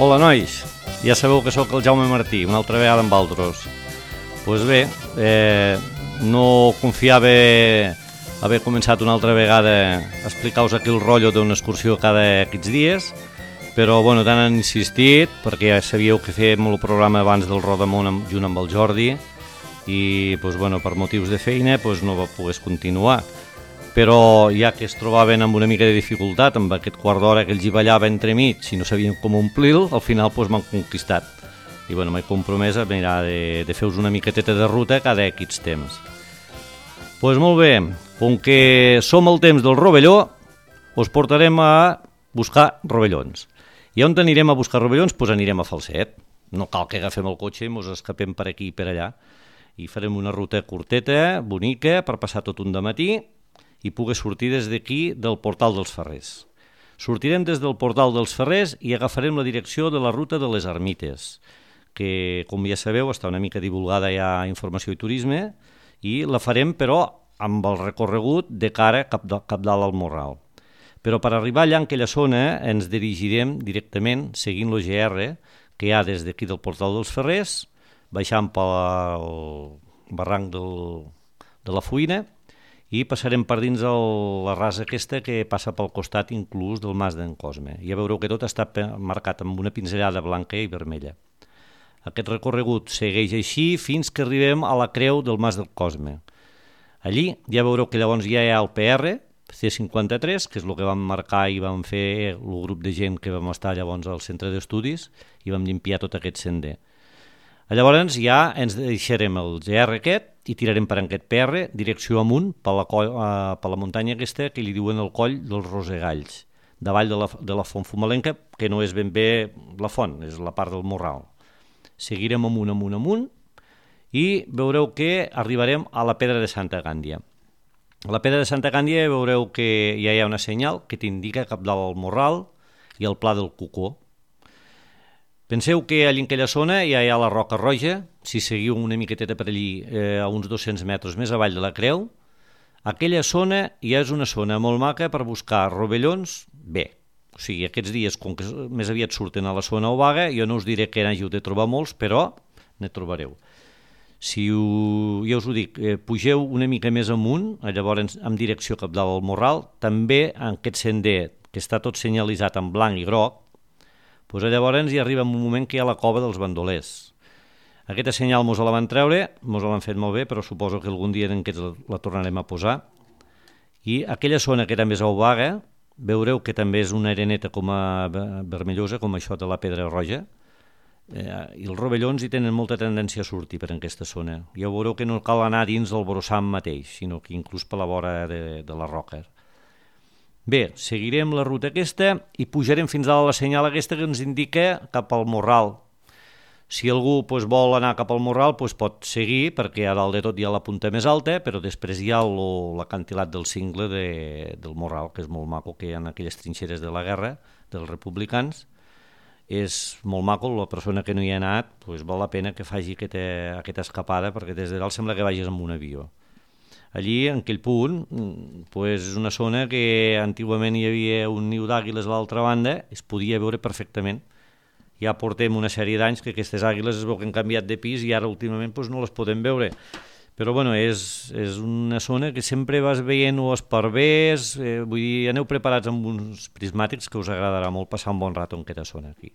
Hola, nois. Ja sabeu que sóc el Jaume Martí, una altra vegada amb vosaltres. Doncs bé, no confiava haver començat una altra vegada a explicar-vos aquí el rotllo d'una excursió cada aquests dies, però bueno, tant han insistit, perquè ja sabíeu que fèiem el programa abans del Rodamont junt amb el Jordi, i doncs, bueno, per motius de feina doncs, no va poder continuar. Però ja que es trobaven amb una mica de dificultat amb aquest quart d'hora que els hi ballava entremig i no sabien com omplir-lo, al final doncs, m'han conquistat. I bueno, m'he compromès a mirar de fer-vos una miqueteta de ruta cada aquests temps. Doncs molt bé, com que som al temps del rovelló, us portarem a buscar rovellons. I on anirem a buscar rovellons? Doncs anirem a Falset. No cal que agafem el cotxe i ens escapem per aquí i per allà. I farem una ruta curteta, bonica, per passar tot un dematí i poder sortir des d'aquí del Portal dels Ferrers. Sortirem des del Portal dels Ferrers i agafarem la direcció de la ruta de les Ermites, que, com ja sabeu, està una mica divulgada ja a Informació i Turisme, i la farem, però, amb el recorregut de cara cap dalt al Morral. Però per arribar allà en aquella zona ens dirigirem directament seguint el GR que hi ha des d'aquí del Portal dels Ferrers, baixant pel barranc de la Fuïna, i passarem per dins la rasa aquesta que passa pel costat inclús del Mas d'en Cosme. Ja veureu que tot està marcat amb una pinzellada blanca i vermella. Aquest recorregut segueix així fins que arribem a la creu del Mas del Cosme. Allí ja veureu que llavors ja hi ha el PR, C53, que és el que vam marcar i vam fer el grup de gent que vam estar llavors al centre d'estudis i vam limpiar tot aquest sender. Llavors ja ens deixarem el GR aquest i tirarem per aquest PR direcció amunt per la muntanya aquesta que li diuen el coll dels Rosegalls, davall de la Font Fumalenca, que no és ben bé la font, és la part del Morral. Seguirem amunt i veureu que arribarem a la Pedra de Santa Gàndia. A la Pedra de Santa Gàndia veureu que ja hi ha una senyal que t'indica cap dalt al Morral i el Pla del Cocó. Penseu que allà en aquella zona ja hi ha la Roca Roja, si seguiu una miqueteta per allí a uns 200 metres més avall de la creu, aquella zona ja és una zona molt maca per buscar rovellons bé. O sigui, aquests dies, com que més aviat surten a la zona obaga, jo no us diré que n'hàgiu de trobar molts, però ne trobareu. Si ja us ho dic, pugeu una mica més amunt, llavors en direcció cap dalt al Morral, també en aquest sender que està tot senyalitzat en blanc i groc, doncs llavors hi arriba un moment que hi ha la cova dels bandolers. Aquesta senyal mos la van treure, mos l'han fet molt bé, però suposo que algun dia en aquests la tornarem a posar. I aquella zona que també és obaga, veureu que també és una areneta com a vermellosa, com això de la Pedra Roja, i els rovellons hi tenen molta tendència a sortir per aquesta zona. Ja veureu que no cal anar dins del brossam mateix, sinó que inclús per la vora de la roca. Bé, seguirem la ruta aquesta i pujarem fins a la senyal aquesta que ens indica cap al Morral. Si algú vol anar cap al Morral pot seguir, perquè a dalt de tot hi ha la punta més alta, però després hi ha l'acantilat del cingle del Morral, que és molt maco, que hi ha aquelles trinxeres de la guerra dels republicans. És molt maco, la persona que no hi ha anat val la pena que faci aquesta escapada, perquè des de dalt sembla que vagis amb un avió. Allí, en aquell punt, és una zona que antigament hi havia un niu d'àguiles a l'altra banda, es podia veure perfectament. Ja portem una sèrie d'anys que aquestes àguiles es veu que han canviat de pis i ara últimament no les podem veure. Però bueno, és una zona que sempre vas veient esparvers, vull dir, aneu preparats amb uns prismàtics que us agradarà molt passar un bon rato en aquesta zona aquí.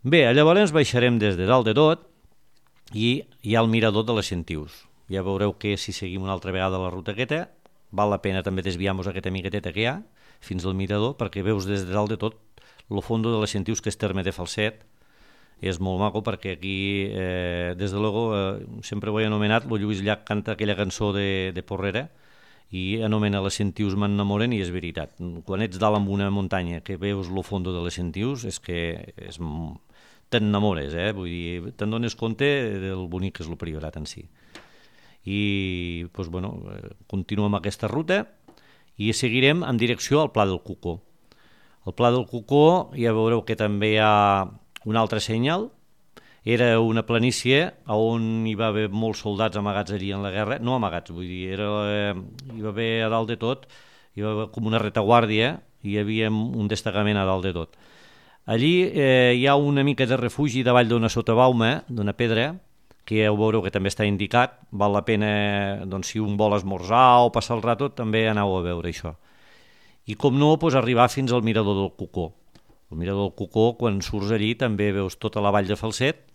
Bé, llavors baixarem des de dalt de tot i hi ha el mirador de les Sentius. Ja veureu que si seguim una altra vegada la ruta aquesta, val la pena també desviar-nos aquesta miqueteta que hi ha fins al mirador, perquè veus des de dalt de tot el fondo de les Sentius, que és terme de Falset. És molt maco perquè aquí, des de luego, sempre ho he anomenat, el Lluís Llach canta aquella cançó de Porrera i anomena les Sentius m'enamoren, i és veritat. Quan ets dalt en una muntanya que veus el fondo de les Sentius és que t'enamores, vull dir, te'n dones compte del bonic que és el Priorat en si. I continuem aquesta ruta i seguirem en direcció al Pla del Cocó. Al Pla del Cocó ja veureu que també hi ha una altra senyal. Era una planícia on hi va haver molts soldats amagats allí en la guerra, no amagats, vull dir, hi va haver a dalt de tot, hi va haver com una retaguàrdia i hi havia un destacament a dalt de tot. Allí hi ha una mica de refugi davall d'una sotabauma, d'una pedra, que ja ho veureu que també està indicat, val la pena, doncs, si un vol esmorzar o passar el rato, també aneu a veure això. I com no, doncs, arribar fins al mirador del Cocó. El mirador del Cocó, quan surts allí, també veus tota la vall de Falset.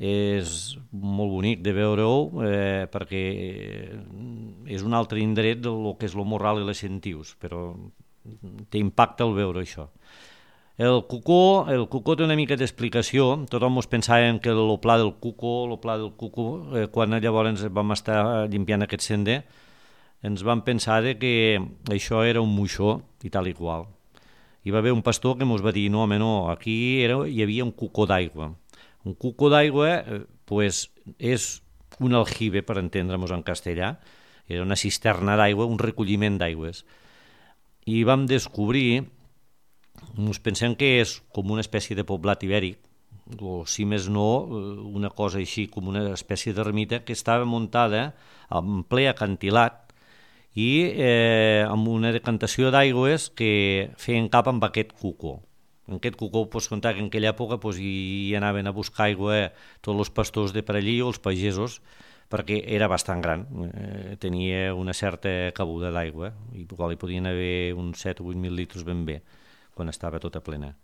És molt bonic de veure-ho perquè és un altre indret del que és el Morral i les Sentius, però té impacte el veure això. El Cocó té una mica d'explicació. Tothom ens pensàvem que el pla del Cocó, quan llavors vam estar limpiant aquest sender, ens vam pensar que això era un moixó i tal i qual. Hi va haver un pastor que ens va dir, no, home, no, aquí hi havia un cocó d'aigua. Un cocó d'aigua és un aljibe, per entendre-nos en castellà, era una cisterna d'aigua, un recolliment d'aigües. I vam descobrir, ens pensem que és com una espècie de poblat ibèric, o si més no, una cosa així com una espècie d'ermita que estava muntada en ple acantilat i amb una decantació d'aigües que feien cap amb aquest cocó. En aquest cocó pots contar que en aquella època hi anaven a buscar aigua tots els pastors de per allí o els pagesos, perquè era bastant gran, tenia una certa cabuda d'aigua, i hi podien haver uns 7 o 8.000 litres ben bé, quan estava tota plena.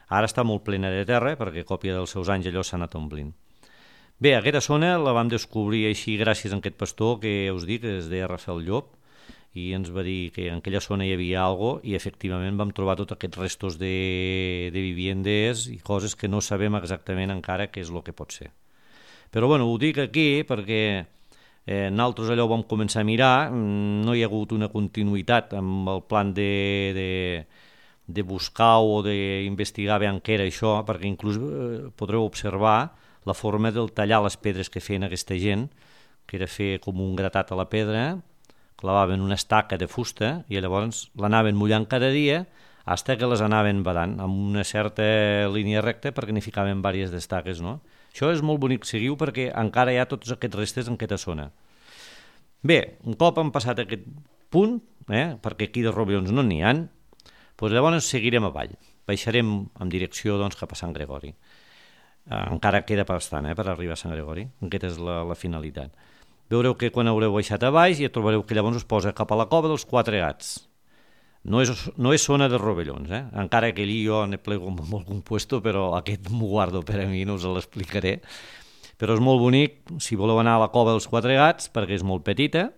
Ara està molt plena de terra, perquè a còpia dels seus anys allò s'ha anat omplint. Bé, aquesta zona la vam descobrir així gràcies a aquest pastor que us dic, que es deia Rafael Llop, i ens va dir que en aquella zona hi havia alguna cosa i efectivament vam trobar tots aquests restos de viviendes i coses que no sabem exactament encara què és el que pot ser. Però bueno, ho dic aquí perquè nosaltres allò ho vam començar a mirar, no hi ha hagut una continuïtat amb el plan de buscar o d'investigar bé què era això, perquè inclús podreu observar la forma del tallar les pedres que feien aquesta gent, que era fer com un gratat a la pedra, clavaven una estaca de fusta i llavors l'anaven mullant cada dia fins que les anaven badant amb una certa línia recta perquè n'hi ficaven diverses d'estaques, no? Això és molt bonic, seguiu, perquè encara hi ha tots aquests restes en aquesta zona. Bé, un cop han passat aquest punt, perquè aquí de rovellons no n'hi ha, doncs llavors seguirem avall, baixarem en direcció cap a Sant Gregori. Encara queda bastant per arribar a Sant Gregori, aquesta és la finalitat. Veureu que quan haureu baixat a baix ja trobareu que llavors us posa cap a la cova dels Quatre Gats. No és zona de rovellons, encara que allí jo ne plego amb algun puesto, però aquest m'ho guardo per a mi, no us l'explicaré. Però és molt bonic si voleu anar a la cova dels Quatre Gats, perquè és molt petita,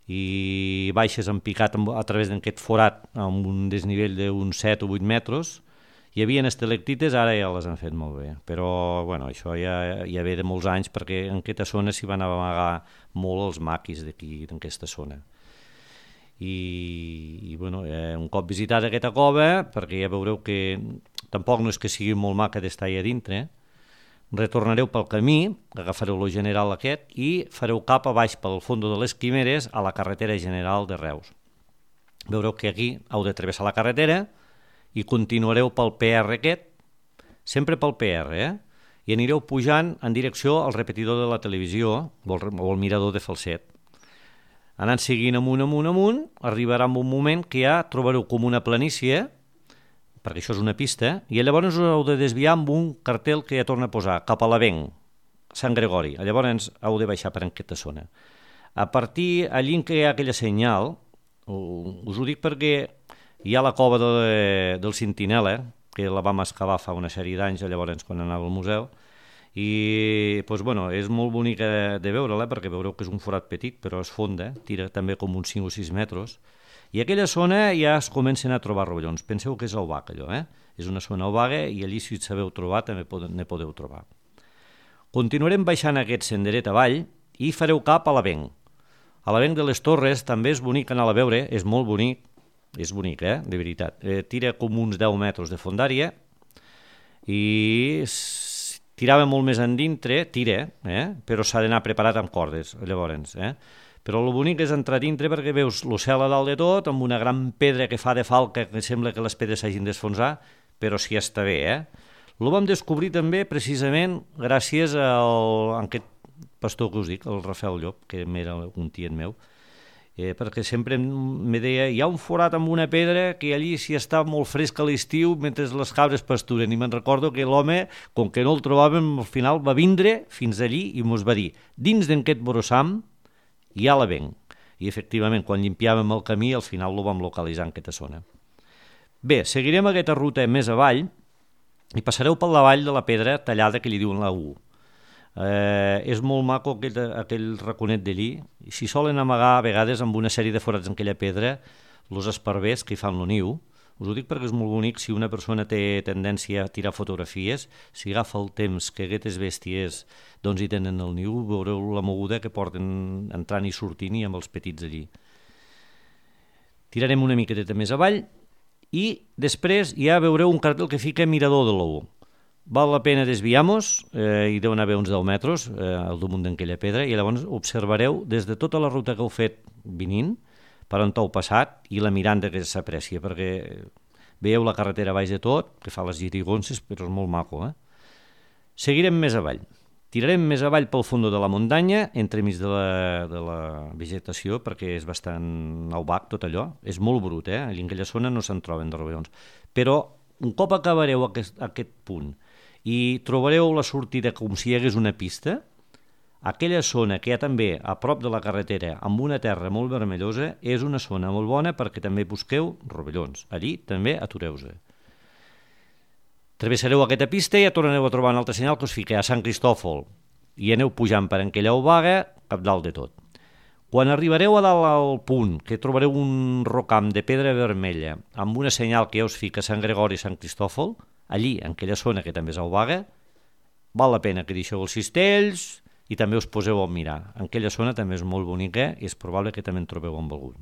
i baixes en picat a través d'aquest forat amb un desnivell d'uns 7 o 8 metres. Hi havia estalactites, ara ja les han fet molt bé, però bueno, això ja ve de molts anys perquè en aquesta zona s'hi van amagar molt els maquis d'aquí, d'aquesta zona. I bueno, un cop visitat aquesta cova, perquè ja veureu que tampoc no és que sigui molt maca d'estar allà dintre, retornareu pel camí, agafareu el general aquest i fareu cap a baix pel fons de les Quimeres a la carretera general de Reus. Veureu que aquí heu de travessar la carretera i continuareu pel PR aquest, sempre pel PR, i anireu pujant en direcció al repetidor de la televisió o al mirador de Falset. Anant seguint amunt, arribarà un moment que ja trobareu com una planícia, perquè això és una pista, i llavors us heu de desviar amb un cartel que ja torna a posar, cap a l'Avenc, Sant Gregori. Llavors heu de baixar per aquesta zona. A partir allí que hi ha aquella senyal, us ho dic perquè hi ha la cova del Sentinela, que la vam excavar fa una sèrie d'anys, llavors quan anava al museu, i bueno, és molt bonica de veure-la, perquè veureu que és un forat petit, però és fonda, tira també com uns 5 o 6 metres, i aquella zona ja es comencen a trobar rovellons. Penseu que és obac, allò, és una zona obaga, i allí si et sabeu trobar també ne podeu trobar. Continuarem baixant aquest senderet avall i fareu cap a l'Avenc. A l'Avenc de les Torres també és bonic anar a veure, és molt bonic, és bonic, de veritat. Tira com uns 10 metres de fondària i tirava molt més endintre, però s'ha d'anar preparat amb cordes, llavors. Però el bonic és entrar dintre perquè veus el cel a dalt de tot, amb una gran pedra que fa de falca, que sembla que les pedres s'hagin d'esfonsar, però sí està bé. Lo vam descobrir també precisament gràcies a aquest pastor que us dic, el Rafael Llop, que era un tiet meu, perquè sempre me deia, hi ha un forat amb una pedra que allí s'hi està molt fresc a l'estiu mentre les cabres pasturen, i me'n recordo que l'home, com que no el trobàvem, al final va vindre fins allí i mos va dir, dins d'aquest brossam hi ha l'avenc. I efectivament, quan limpiàvem el camí, al final lo vam localitzar en aquesta zona. Bé, seguirem aquesta ruta més avall i passareu per la vall de la pedra tallada que li diuen la U. És molt maco aquell raconet d'allí. S'hi solen amagar a vegades amb una sèrie de forats en aquella pedra els esparvers que hi fan el niu. Us ho dic perquè és molt bonic. Si una persona té tendència a tirar fotografies, si agafa el temps que aquestes bèsties doncs hi tenen el niu, veureu la moguda que porten entrant i sortint i amb els petits allí. Tirarem una miqueta més avall i després ja veureu un cartell que fica Mirador de l'Ou. Val la pena desviar-nos, hi deuen haver uns 10 metres al damunt d'aquella pedra, i llavors observareu des de tota la ruta que heu fet venint, per on heu passat, i la miranda que s'aprecia, perquè veieu la carretera baix de tot, que fa les girigonses, però és molt maco. Seguirem més avall. Tirarem més avall pel fons de la muntanya, entremig de la vegetació, perquè és bastant opac tot allò. És molt brut, allà en aquella zona no se'n troben de rovellons. Però un cop acabareu aquest punt i trobareu la sortida com si hi hagués una pista, aquella zona que hi ha també a prop de la carretera amb una terra molt vermellosa és una zona molt bona perquè també busqueu rovellons. Allí també atureu-se. Travessareu aquesta pista i ja tornareu a trobar un altre senyal que us fica a Sant Cristòfol i aneu pujant per aquella obaga cap dalt de tot. Quan arribareu a dalt al punt que trobareu un rocam de pedra vermella amb una senyal que ja us fica Sant Gregori i Sant Cristòfol, allí, en aquella zona que també és obaga, val la pena que deixeu els cistells i també us poseu a mirar. En aquella zona també és molt bonica i és probable que també en trobeu amb algun.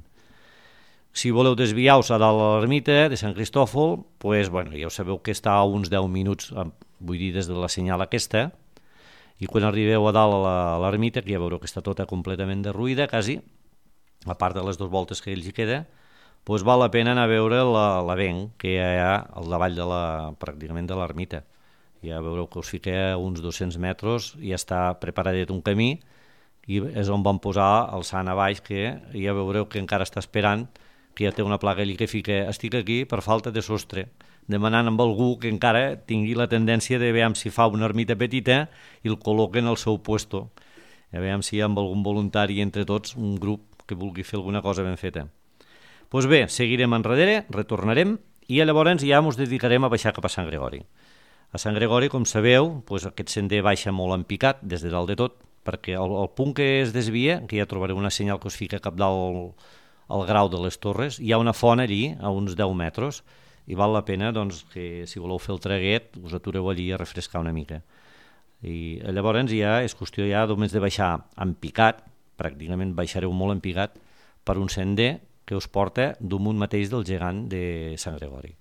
Si voleu desviar-vos a dalt a l'ermita de Sant Cristòfol, ja ho sabeu que està a uns 10 minuts, vull dir, des de la senyal aquesta, i quan arribeu a dalt a l'ermita, que ja veureu que està tota completament derruïda, quasi, a part de les 2 voltes que ells hi queda, doncs val la pena anar a veure l'avenc que hi ha al davall pràcticament de l'ermita. Ja veureu que us fica uns 200 metres i ja està preparadet un camí i és on van posar el sant a baix, que ja veureu que encara està esperant, que ja té una placa allí que fica estic aquí per falta de sostre, demanant amb algú que encara tingui la tendència de veure si fa una ermita petita i el col·loquen al seu puesto. A veure si hi ha algun voluntari entre tots, un grup que vulgui fer alguna cosa ben feta. Doncs bé, seguirem enrere, retornarem i llavors ja ens dedicarem a baixar cap a Sant Gregori. A Sant Gregori, com sabeu, aquest sender baixa molt en picat des de dalt de tot, perquè el punt que es desvia, que ja trobareu una senyal que us fica cap dalt al Grau de les Torres, hi ha una font allí a uns 10 metres i val la pena que si voleu fer el traguet us atureu allí a refrescar una mica. I llavors ja és qüestió només de baixar en picat, pràcticament baixareu molt en picat, per un sender que us porta damunt mateix del gegant de Sant Gregori.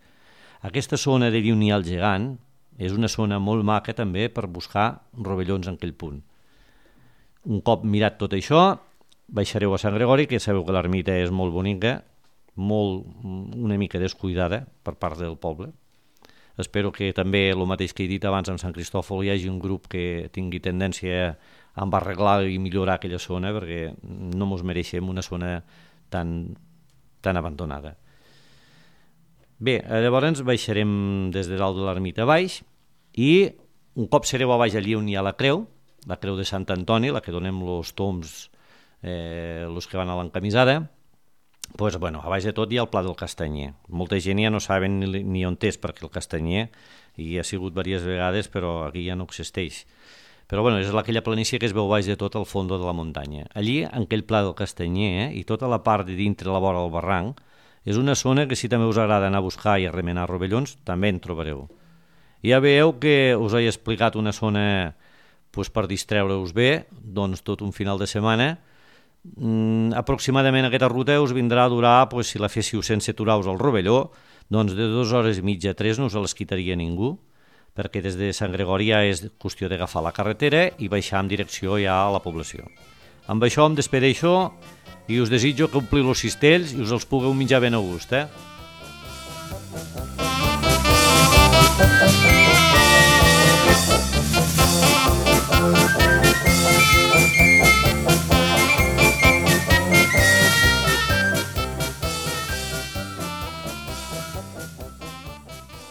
Aquesta zona de on hi ha el gegant és una zona molt maca també per buscar rovellons en aquell punt. Un cop mirat tot això, baixareu a Sant Gregori, que sabeu que l'ermita és molt bonica, una mica descuidada per part del poble. Espero que també, el mateix que he dit abans amb Sant Cristòfol, hi hagi un grup que tingui tendència a arreglar i millorar aquella zona, perquè no ens mereixem una zona tan abandonada. Bé, llavors baixarem des de dalt de l'ermita baix i un cop sereu a baix allí on hi ha la creu de Sant Antoni, la que donem els toms, els que van a l'encamisada, a baix de tot hi ha el Pla del Castanyer. Molta gent ja no saben ni on és, perquè el Castanyer hi ha sigut diverses vegades, però aquí ja no existeix. Però és aquella planícia que es veu baix de tot al fons de la muntanya. Allí, en aquell Pla del Castanyer, i tota la part de dintre la vora del barranc, és una zona que si també us agrada anar a buscar i a remenar rovellons, també en trobareu. Ja veieu que us he explicat una zona per distreure-us bé, tot un final de setmana. Aproximadament aquesta ruta us vindrà a durar, si la féssiu sense aturar-vos al rovelló, de 2 hores i mitja a 3 no us les quitaria ningú, perquè des de Sant Gregori ja és qüestió d'agafar la carretera i baixar en direcció ja a la població. Amb això em despedeixo i us desitjo que ompliu els cistells i us els pugueu menjar ben a gust.